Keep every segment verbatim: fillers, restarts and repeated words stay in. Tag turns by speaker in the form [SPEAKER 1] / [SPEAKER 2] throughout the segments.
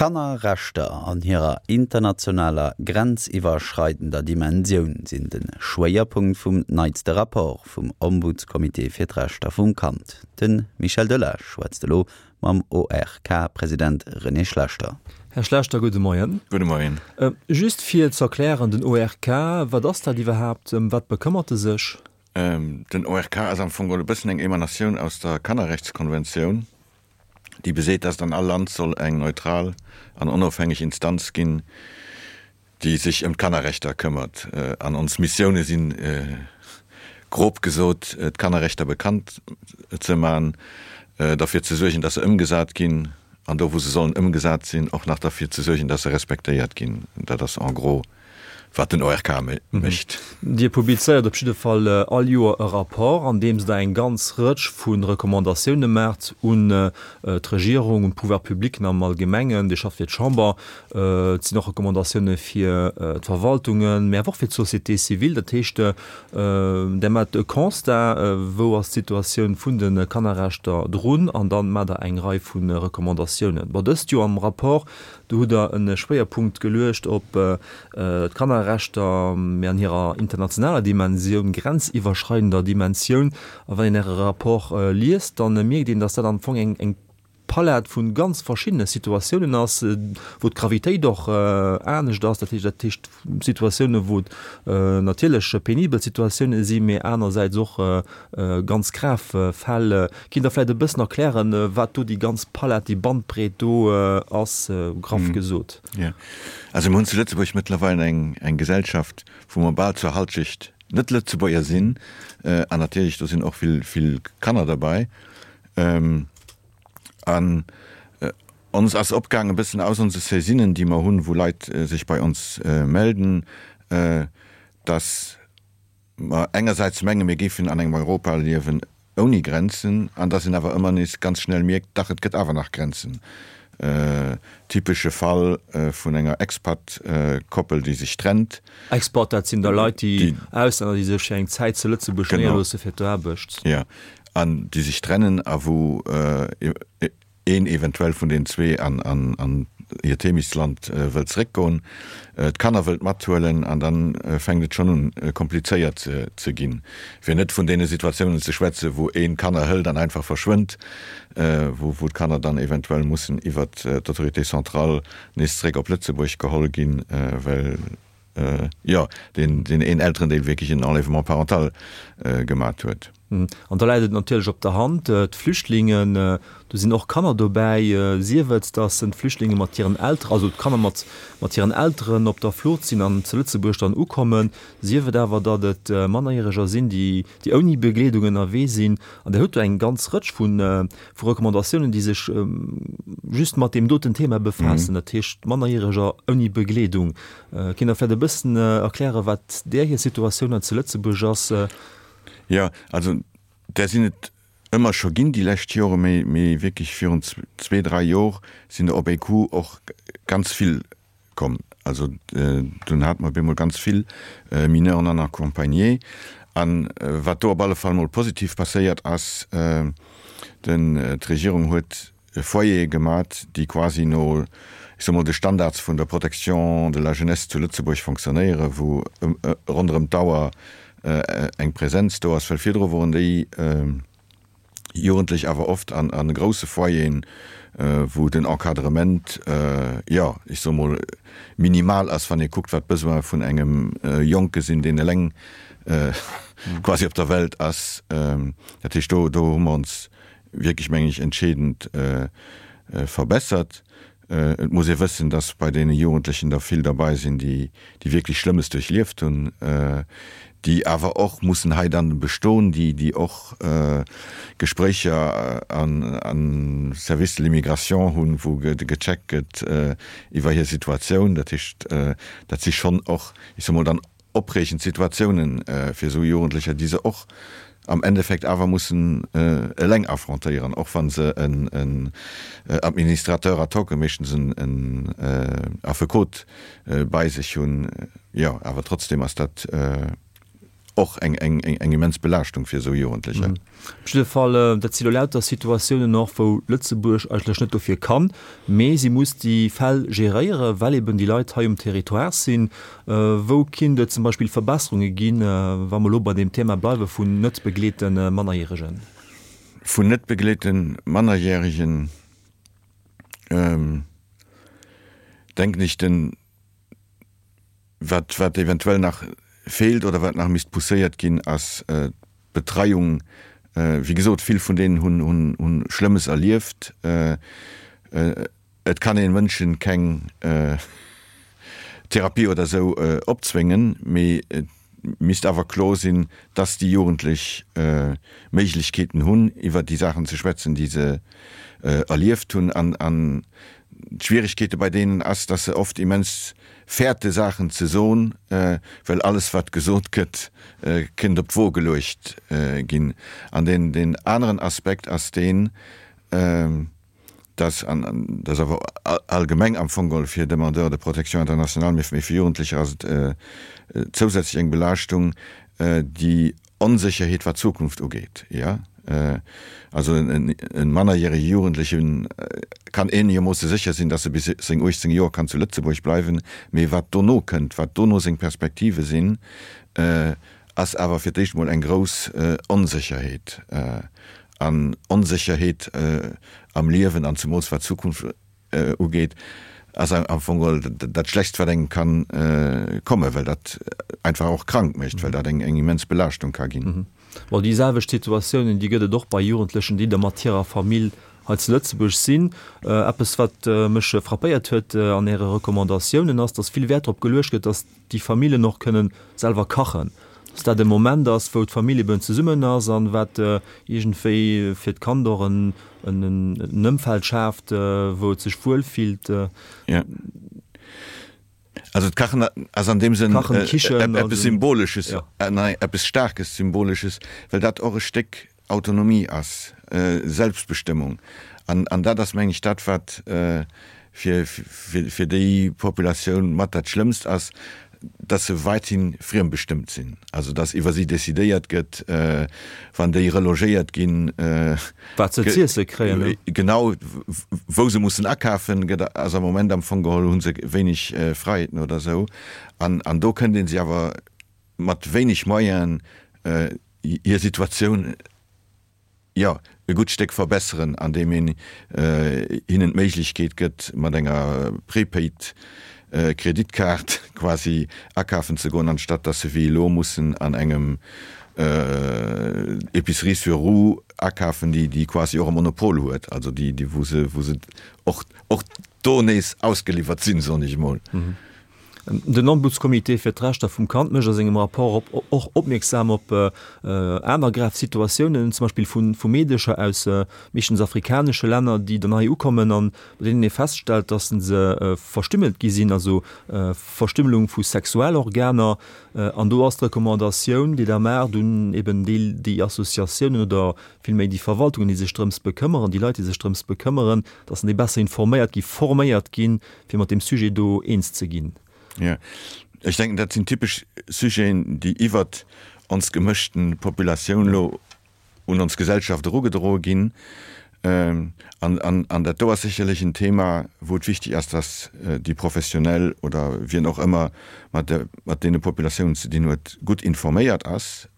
[SPEAKER 1] D'Kannerrechter an hirer internationaler, grenziwwerschreidender Dimensioun sinn de Schwéierpunkt vum neitste Rapport vum Ombudscomité fir d'Rechter vum Kand. De Michel Delage schwätzt elo mam O R K-President René Schlechter.
[SPEAKER 2] Här Schlechter, gudde Moien.
[SPEAKER 3] Gudde Moien.
[SPEAKER 2] Just fir ze erklären, den O R K, wat ass dat iwwerhaapt, ëm wat bekëmmert e sech?
[SPEAKER 3] Den O R K ass am Fong geholl e bëssen eng Emanatioun aus der Kannerrechtskonventioun, déi beseet, dass et an all Land soll eng neutral an onofhängeg Instanz ginn, déi sech ëm d'Kannerrechter këmmert. An ons Missioune sinn, grob gesot, d'Kannerrechter bekannt ze man, derfir ze suergen, dass se ëmgesat ginn, an do, wou se sollen ëmgesat sinn, och nach derfir ze suergen, dass se respektéiert ginn. Dat ass en gros, wat den O R K mécht.
[SPEAKER 2] Dir publizéiert op jidde Fall all Joer e Rapport, an deem Der eng ganz Rëtsch vu Recommandatioune maacht un d'Regierung, un d'Pouvoirs publics am Allgemengen. Dir schafft fir d'Chamber. Et sinn och Recommandatioune fir d'Verwaltungen, mä awer och fir d'Société civile. Dat heescht, Der maacht e Constat, wou ass d'Situatioun vun de Kannerrechter drun, an da maacht Der eng Rei vu Recommandatiounen. Bon, dëst Joer am Rapport, do hutt Der e Schwéierpunkt geluecht op d'Kannerrechter, mä an hirer internationaler Dimensioun, grenziwwerschreidender Dimensioun. A wann een Äre Rapport liest, da mierkt een, datt dat am Fong eng eng Palett vu ganz verschiddene Situatiounen ass, wou d'Gravitéit och anescht ass. Dat heescht, dat heescht Situatiounen, wou et natierlech penibel Situatiounen sinn, mä anersäits och ganz grav Fäll. Kinnt Der vläicht e bëssen erklären, wat do déi ganz Palett, déi Bandbreet do ass, graff gesot?
[SPEAKER 3] Jo, also mir hunn zu Lëtzebuerg mëttlerweil eng eng Gesellschaft, wou mer bal zur Halschecht Net-Lëtzebuerger sinn, an natierlech do sinn och vill vill Kanner derbäi. An ons ass opgaangen, e bëssen aus onse Saisinen, déi mer hunn, wou Leit sech bei ons melden, dass mer engersäits menge mir géifen an engem Europa liewen ouni Grenzen, an dass een awer ëmmer nees ganz schnell mierkt, dach et gëtt awer nach Grenzen. Typesche Fall vun enger Expat-Koppel, déi sech trennt.
[SPEAKER 2] Expat, dat sinn da Leit, déi Auslänner, déi sech fir eng Zäit zu Lëtzebuerg néierloosse fir d'Aarbecht.
[SPEAKER 3] Jo, an déi sech trennen a wou een eventuell vun den zwee an an hiert Heemechtsland wëllt zeréckgoen, d'Kanner wëllt mathuelen, an dann fänkt et schonn un komplizéiert ze ginn. Fir net vun deene Situatiounen ze schwätzen, wou een d'Kanner hëlt an einfach verschwënnt, wou wou d'Kanner dann eventuell mussen iwwert d'Autorité centrale nees zeréck op Lëtzebuerg geholl ginn, well jo deen deen een Elterendeel wierklech en Enlèvement parental gemat huet.
[SPEAKER 2] An da läit et natierlech op der Hand, d'Flüchtlingen, do sinn och Kanner dobäi, sief et, datt d'Flüchtlinge mat hiren Elteren, also d'Kanner mat mat hiren Elteren op der Flucht sinn an zu Lëtzebuerg dann ukommen, sief et awer, datt et Mannerjäreger sinn, déi déi ouni Begleedung ënnerwee sinn. An Der hutt do eng ganz Rëtsch vu vu Recommandatiounen, déi sech just mat deem doten Thema befaassen, dat heescht Mannerjäreger ouni Begleedung. Kinnt Der vläicht e bëssen erklären, wat där hir Situatioun hei zu Lëtzebuerg ass?
[SPEAKER 3] Jo, also där sinn et ëmmer scho ginn déi lescht Jore, mee mee wierklech virun zwee, dräi Jor sinn der op ee Coup och ganz vill komm. Also dunn hate mer op eemol ganz vill Mineurs non accompagnés. An wat do op alle Fall mol positiv passéiert ass, den d'Regierung huet Foyere gemat, déi quasi no, ech soe mol, de Standards vun der Protection de la jeunesse zu Lëtzebuerg fonctionnéieren, wou ronderëm d'Auer eng Präsenz do ass, well virdru woren déi Jugendlech awer oft an a grousse Foyeren, wou den Encadrement, jo, ech soe mol, minimal ass, wann ee kuckt, wat d'Besoine vun engem Jonke sinn, deen eleng quasi op der Welt ass. Dat heescht, do do hu mer ons wierklech, mengen ech, entscheedend verbessert. Et muss ee wëssen, dass bei deene Jugendlechen der vill derbei sinn, déi déi wierklech Schlëmmes duerchlieft hunn, déi awer och mussen hei dann bestoen, déi déi och Gespréicher an am Service de l'immigration hunn, wou gecheckt gëtt iwwer hir Situatioun. Dat heescht, dat si schonn och, ech soe mol dann, opreegend Situatiounen fir esou Jugendlecher, déi se och am Endeffekt awer mussen eleng affrontéieren, och wa se en Administrateur ad hoc, meeschtens en Affekot bei sech hunn. Jo, awer trotzdem ass dat och eng, eng, eng, eng immens Belaaschtung fir esou Jugendlecher.
[SPEAKER 2] Op jidde Fall, dat si lo lauter Situatiounen och, wou Lëtzebuerg eigentlech net dofir kann, mee si muss déi Fäll geréieren, well eben déi Leit hei um Territoire sinn. Wou kinnt et zum Beispill Verbesserunge ginn, wa mer elo bei deem Thema bleiwe vun net begleete Mannerjäregen?
[SPEAKER 3] Vun net begleete Mannerjäregen, denken ech, den, wat, wat eventuell nach feelt oder wat nach misst pousséiert ginn, ass d'Betreiung. Wéi gesot, vill vun deenen hunn, hunn, hunn Schlëmmes erlieft. Et kann ee Mënschen keng Therapie oder esou opzwéngen, mee et misst awer kloer sinn, dass déi Jugendlech Méiglechkeeten hunn, iwwer déi Saachen ze schwätzen, déi se erlieft hunn. An d'Schwieregkeete bei deenen ass, dass se oft immens fäerte Saachen ze soen, well alles wat gesot gëtt, kënnt op d'Wo geluecht ginn. An deen aneren Aspekt ass deen, dass, an dat ass awer allgemeng am Fong geholl fir Demandeurs de protection internationale, mee fir Jugendlecher ass et zousätzlech eng Belaaschtung, déi Onsécherheet wat d'Zukunft ugeet, jo. Also e mannerjärege Jugendleche kann eenegermoosse sécher sinn, dass e bis seng uechtzéng Joer kann zu Lëtzebuerg bleiwen, mee wat dono kënnt, wat dono seng Perspektive sinn, ass awer fir d'éischt emol eng grouss Onsécherheet. An Onsécherheet am Liewen an zemools wat d'Zukunft ugeet, ass am Fong geholl dat Schlechtst, wat engem kann kommen, well dat einfach och krank mécht, well dat eng immens Belaaschtung ka ginn.
[SPEAKER 2] Bon, déi selwecht Situatiounen, déi gëtt et och bei Jugendlechen, déi da mat hirer Famill hei zu Lëtzebuerg sinn. Eppes, wat mech frappéiert huet an Äre Recommandatiounen, ass, dass vill Wäert drop geluecht gëtt, dass déi Famillen och kënnen selwer kachen, dass dat e Moment ass, wou d'Famill eben zesummen ass an wat iergendwéi fir d'Kand och en Ëmfeld schaaft, wou et sech wuel fillt.
[SPEAKER 3] Jo. Also d'Kachen ass an deem Sënn eppes Symbolesches, eppes Staarkes Symbolesches, well dat och e Stéck Autonomie ass, Selbstbestëmmung. An dat ass, meng ech, dat, wat fir déi Populatioun mat dat Schlëmmst ass, dass se weithin friembestëmmt sinn, also dass iwwer si decidéiert gëtt, wann déi relogéiert ginn,
[SPEAKER 2] wat se z'iesse kréien, ne?
[SPEAKER 3] Genau, wou se mussen akafen, gëtt, ass am Moment am Fong geholl, hu se wéineg Freiheeten oder esou. An, an do kënnt ee si awer mat wéineg Moyenen hir Situatioun, jo, e gutt Stéck verbesseren, andeem een hinnen d'Méiglechkeet gëtt, mat enger Prepaid Kreditkaart quasi akafen ze goen, anstatt dass se wéi elo mussen an engem Épicerie sur roues akafen, déi déi quasi och e Monopol huet, also déi déi wou se wou se och och do nees ausgeliwwert sinn, soen ech emol.
[SPEAKER 2] Den Ombudscomité fir d'Rechter vum Kand mécht a sengem Rapport op och opmierksam op aner grav Situatiounen, zum Beispill vu vu Meedecher aus meeschtens afrikanesche Länner, déi dann hei ukommen an bei deenen ee feststellt, datt se verstümmelt gi sinn, also Verstümmelung vu Sexualorganer. An do ass d'Recommandatioun, déi Der maacht un eben déi déi Associatiounen oder villméi déi Verwaltungen, déi sech drëms bekëmmeren, déi Leit, déi sech drëms bekëmmeren, datt déi besser informéiert gi, forméiert ginn, fir mat deem Sujet do eens ze ginn.
[SPEAKER 3] Jo, ech denken, dat sinn typesch Sujeten, déi iwwert ons gemëschten Populatioun elo un ons Gesellschaft erugedroe ginn. An, an dat do ass sécherlech en Thema, wou et wichtig ass, dass déi Professionell oder wien och ëmmer mat der, mat deene Populatiounen ze dinn huet, gutt informéiert ass,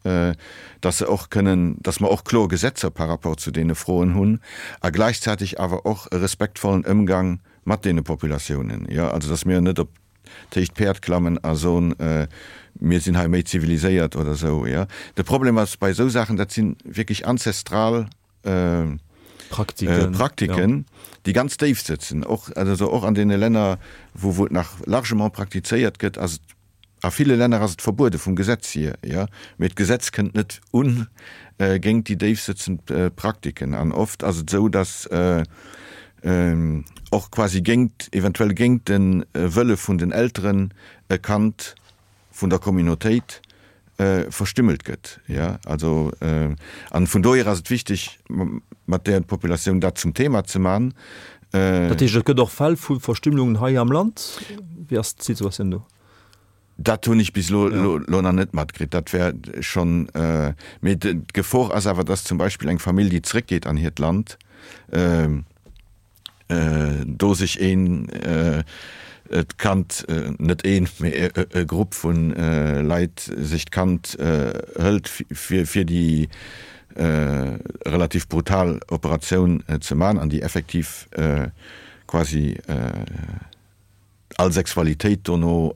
[SPEAKER 3] dass se och kënnen, dass mer och kloer Gesetzer par rapport zu deene Froen hunn a gläichzäitig awer och e respektvollen Ëmgang mat deene Populatiounen, jo, also dass mir net op d'héicht Päerd klammen a soen, mir sinn hei méi ziviliséiert oder esou, jo. De Problem ass bei esou Saachen, dat si wierklech anzestral Praktiken, déi ganz déif sëtzen, och, also och an deene Länner, wou, wou et nach largement praktizéiert gëtt, ass et A ville Länner ass et verbuede vum Gesetz hier, jo, mee d'Gesetz kënnt net un géint déi déifsëtzend Praktiken. An oft ass et esou, datt och quasi géint, eventuell géint de Wëlle vun den Elteren e Kand vun der Communautéit verstümmelt gëtt, jo. Also, an vun dohier ass et wichteg, mat där Populatioun dat zum Thema ze man.
[SPEAKER 2] Dat heescht, et gëtt och Fäll vu Verstümmelungen hei am Land? Wéi ass d'Situatioun do?
[SPEAKER 3] Dat hunn ech bis elo elo nach net matkritt. Dat wär schonn, mee d'Gefor ass awer, dass zum Beispill eng Famill, déi zréckgeet an hiert Land, do sech een d'Kand, net een, mee e Grupp vu Leit sech d'Kand hëlt, fir fir déi relativ brutal Operatioun ze man an déi effektiv quasi all Sexualitéit dono,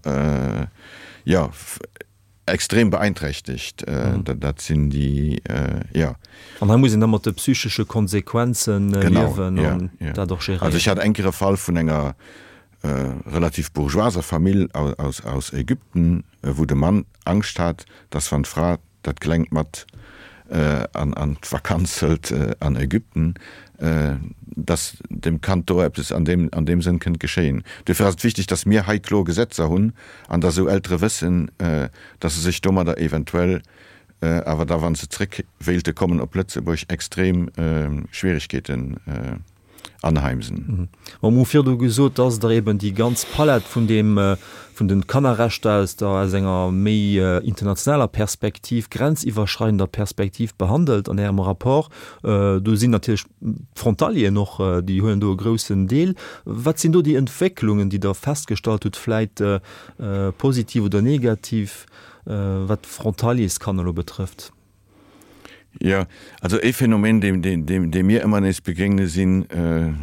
[SPEAKER 3] jo, extrem beeinträchtegt. Dat sinn déi, jo.
[SPEAKER 2] An hei muss een da mat de psychesche Konsequenzen liewen an dat och
[SPEAKER 3] geréieren. Also ech hat eng Kéier e Fall vun enger relativ bourgeoiser Famill aus Ägypten, wou de Mann Angscht hat, dass wann d'Fra dat Klengt mat an d'Vakanz hëlt an Ägypten, dass dem Kand do eppes an deem, an deem Sënn kënnt geschéien. Duerfir ass et wichteg, dass mir hei kloer Gesetzer hunn an dass esou Eltere wëssen, dass se sech domadder eventuell awer da, wa se zréck wéilte kommen op Lëtzebuerg, extrem Schwierigkeeten anheimsen.
[SPEAKER 2] Mer hu virdu gesot, dass Der eben déi ganz Palett vun deem, vun de Kannerrechter aus der, aus enger méi internationaler Perspektiv, grenziwwerschreidender Perspektiv behandelt an Ärem Rapport. Do sinn natierlech d'Frontalieren och, déi huelen do e groussen Deel. Wat sinn do déi Entwécklungen, déi Der festgestallt hutt, vläit positiv oder negativ, wat d'Frontalierskanner elo betrëfft?
[SPEAKER 3] Jo, also ee Phänomen, deem, deem, deem mir ëmmer nees begéigne sinn,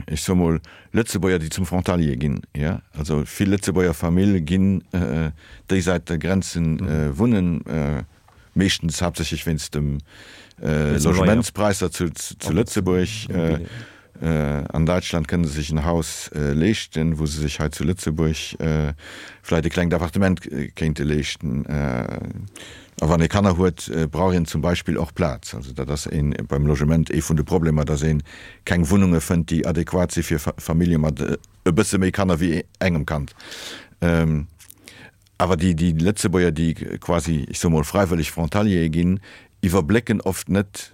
[SPEAKER 3] ech soe mol, Lëtzebuerger, déi zum Frontalier ginn. Jo, also vill Lëtzebuerger Famille ginn déi Säit der Grenzen wunnen, meeschtens haaptsächlech wéinst dem Logementspräisser zu, zu Lëtzebuerg. An Däitschland kënne se sech en Haus leeschten, wou se sech hei zu Lëtzebuerg vläicht e klengt Appartement kéinte leeschten. A wann ee Kanner huet, brauch een zum Beispill och Plaz. Also dat ass ee beim Logement ee vun de Problemer, datt ee keng Wunnunge fënnt, déi adequat si fir Famillje mat e bësse méi Kanner wéi engem Kand. Awer déi Lëtzebuerger, déi quasi, ech soe mol, fräiwëlleg Frontaliere ginn, iwwerblécken oft net,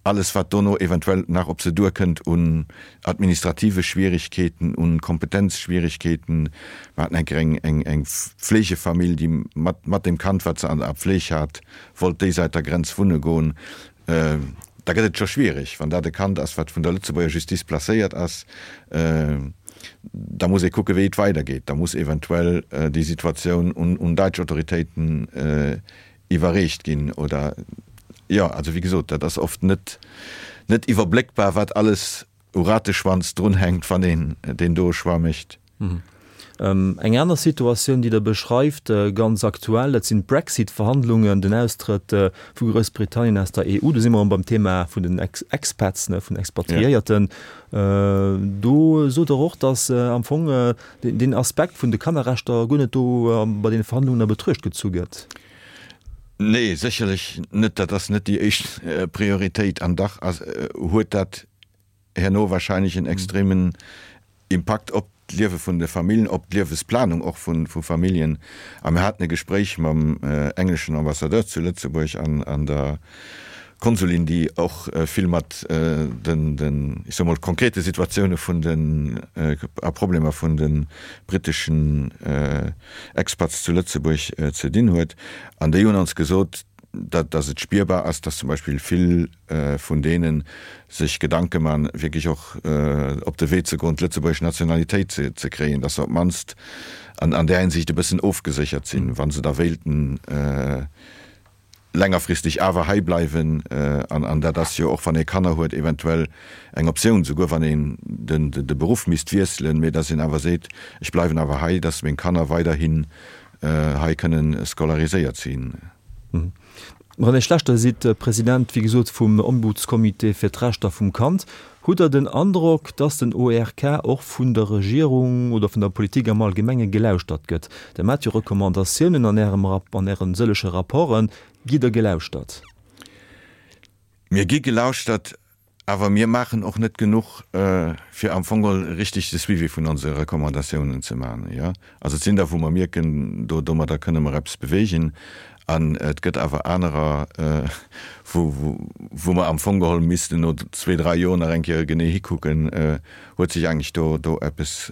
[SPEAKER 3] Alles wat dono eventuell nach op se duerkënnt un administrative Schwierigkeeten, un Kompetenzschwierigkeeten. Mer haten eng Kéier eng, eng, eng Fleegefamill, déi mat, mat dem Kand, wat se an der Pfleg hat, wollt déi Säit der Grenz wunne goen. Da gëtt et scho schwierig, wann dat e Kand ass, wat vun der Lëtzebuerger Justice placéiert ass. Da muss ee kucke wéi et weidergeet. Da muss eventuell déi Situatioun un, un däitsch Autoritéiten iwwerreecht ginn oder. Jo, also wéi gesot, dat ass oft net net iwwerbléckbar, wat alles u Rateschwanz drunhänkt, wann een deen doe Choix mécht.
[SPEAKER 2] Eng aner Situatioun, déi Der beschreift, ganz aktuell, dat sinn d'Brexit-Verhandlungen, den Austrëtt vu Groussbritannien aus der E U. Do si mer erëm beim Thema vun den Expats, vun Expatriéierten. Do sot Der och, datt am Fong deen Aspekt vun de Kannerrechter guer net do bei deene Verhandlungen a Betruecht gezu gëtt.
[SPEAKER 3] Nee, sécherlech net. Dat ass net déi éischt Prioritéit. An dach huet dat herno wahrscheinlech en extremen Impakt op d'Liewe vun de Familljen, op d'Liewesplanung och vu Familljen. A mir haten e Gespréich mam engleschen Ambassadeur zu Lëtzebuerg an der Konsulin, déi och vill mat den, ech soe mol, konkrete Situatioune vun den a Problemer vun de britteschen Expats zu Lëtzebuerg ze dinn huet. An déi hunn ons gesot, datt et spierbar ass, datt zum Beispill vill vun deene sech Gedanke man, wierklech och op de Wee ze goen, d'lëtzebuergesch Nationalitéit ze kréien, datt se op d'mannst an där Hinsicht e bëssen ofgeséchert sinn, wa se da wéilten längerfristeg awer hei bleiwen, an dat ass jo och, wann ee Kanner huet, eventuell eng Optioun, souguer wann een de Beruff misst wiesselen, mee dass een awer seet, ech bleiwen awer hei, dass meng Kanner weiderhin hei kënnen scolariséiert sinn.
[SPEAKER 2] René Schlechter, Dir sidd President, wéi gesot, vum Ombudscomité fir d'Rechter vum Kand. Hutt Der den Androck, dass den O R K och vun der Regierung oder vun der Politik am Allgemenge gelauschtert gëtt? Der maacht jo Recommandatiounen an Ärem, an Ären sëllege Rapporten. Gitt Der gelauschtert?
[SPEAKER 3] Mir gi gelauschtert, awer mir maachen och net genuch, fir am Fong geholl richtig de Suivi vun onse Recommandatiounen ze maachen. Jo, also et sinn der, wou mer mierken, do domadder kënne mer eppes beweegen. An et gëtt awer anerer, wou, wou mer am Fong geholl missten no zwee, dräi Joer nach eng Kéier genee hikucken, huet sech eigentlech do, do eppes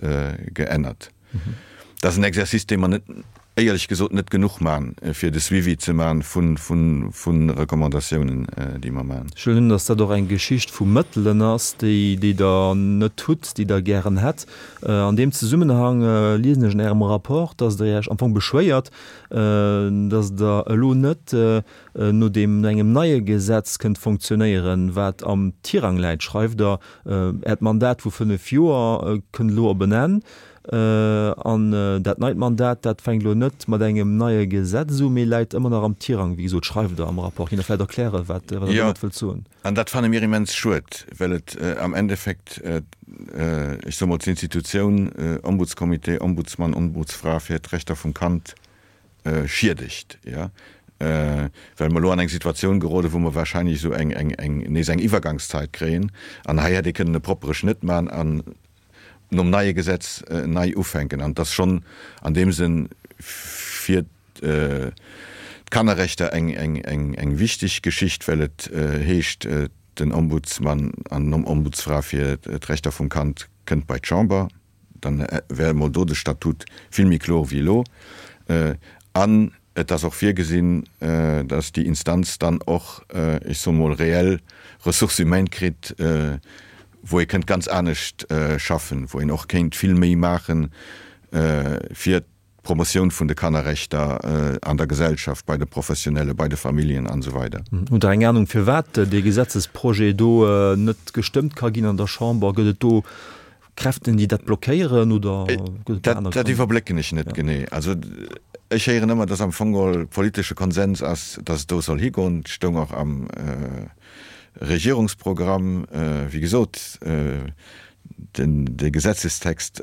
[SPEAKER 3] geännert. Dat ass en Exercice, dee mer net éierlech gesot net genuch man, fir de Suivi ze man vun, vun, vun Recommandatiounen, déi mer man.
[SPEAKER 2] Ech huelen un, dass dat och eng Geschicht vu Mëttelen ass, déi, déi Der net hutt, déi Der gären hätt. An deem Zesummenhang liesen ech an Ärem Rapport, dass Der Iech am Fong beschwéiert, dass Der elo net no deem, no engem neie Gesetz kënnt fonctionnéieren, wat am Tirang läit, schreift Der. Äert Mandat vu fënnef Joer kënnt elo op en Enn. An dat neit Mandat, dat fänkt elo net mat engem neie Gesetz u, mee läit ëmmer nach am Tirang, wéi gesot, schreift Der am Rapport. Kinnt Der vläicht erklären, wat Der domat wëllt soen?
[SPEAKER 3] Jo, an dat fanne mir immens schued, well et am Endeffekt, ech soe mol, d'Institutioun Ombudscomité, Ombudsmann, Ombudsfra fir d'Rechter vum Kand schiedegt, jo, well mer elo an eng Situatioun geroden, wou mer wahrscheinlech esou eng, eng, eng, nees eng Iwwergangszeit kréien. An hei hätt ee kënnen e proppere Schnëtt maachen an nom neie Gesetz nei ufänken. An et ass schonn an deem Sënn fir d'Kannerrechter eng, eng, eng, eng wichteg Geschicht, well et heescht, den Ombudsmann an Ombudsfra fir d'Rechter vum Kand kënnt bei d'Chamber. Dann wär emol do de Statut vill méi kloer wéi elo. An et ass och virgesinn, dass déi Instanz dann och, ech soe mol, reell Ressources humaines kritt, wou ee kënnt ganz anescht schaffen, wou een och kéint vill méi maache fir d'Promotioun vun de Kannerrechter an der Gesellschaft, bei de Professionelle, bei de Familljen an esou weider.
[SPEAKER 2] Hutt Der eng Anung, firwat dee Gesetzesprojet do net gestëmmt ka ginn an der Chamber? Gëtt et do Kräften, déi dat blockéieren oder gëtt et do aner
[SPEAKER 3] Dat
[SPEAKER 2] Grënn?
[SPEAKER 3] iwwerblécken ech net genee. Also ech héieren ëmmer, dass am Fong geholl politesche Konsens ass, dass et do soll higoen. Et stoung och am Regierungsprogramm. Wéi gesot, den dee Gesetzestext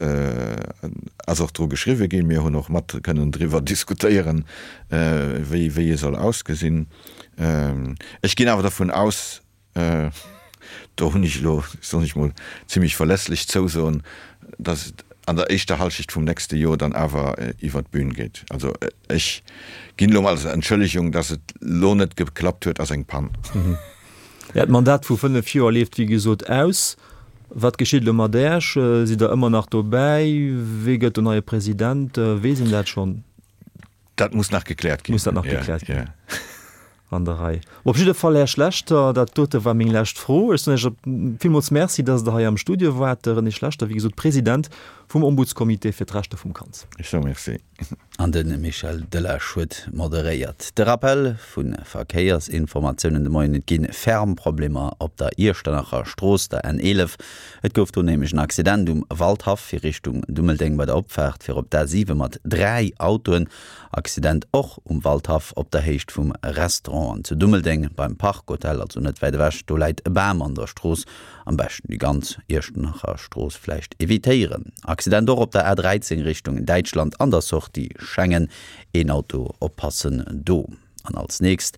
[SPEAKER 3] ass och dru geschriwwe ginn. Mir hunn och mat kënnen driwwer diskutéieren, wéi wéi e soll ausgesinn. Ech ginn awer dervun aus, do hunn ech elo, soen ech mol, zimlech verlässlech Zousoen, dass et an der éischter Halschecht vum nächste Joer dann awer iwwert d'Bühn geet. Also ech ginn elo mol als Entschëllegung, dass et elo net geklappt huet, ass eng Pann.
[SPEAKER 2] Äert Mandat vu fënnef Joer leeft wéi gesot aus. Wat geschitt elo mat Äech? Sidd Der ëmmer nach dobäi? Wee gëtt den neie President? Weess een dat schonn?
[SPEAKER 3] Dat muss nach gekläert ginn.
[SPEAKER 2] Muss dat nach gekläert ginn. An der Rei. Op jidde Fall, Här Schlechter, dat dote war meng lescht Fro. Ech soen Iech villmools Merci, dass Der hei am Studio waart. De René Schlechter, wéi gesot, President vum Ombudscomité fir d'Rechter vum Kand.
[SPEAKER 3] Ech soe Merci.
[SPEAKER 1] An de Michel Delage huet moderéiert. De Rappel vu Verkéiersinformatiounen de Moien, Et gi ferm Problemer op der Iechternacher Strooss, der N eelef. Et gouf do nämlech en Accident um Waldhaff fir Richtung Dummeldeng bei der Opfaart fir op d'A siwe mat dräi Autoen. Accident och um Waldhaff op der Héicht vum Restaurant an zu Dummeldeng beim Park Hotel, also net wäit ewech. Do läit e Bam an der Strooss. Am beschten déi ganz Iechternacher Strooss vläicht evitéieren. Accident och op der A dräizéng Richtung Däitschland an der Sortie Schengen. Een Auto, oppassen do. An als nächst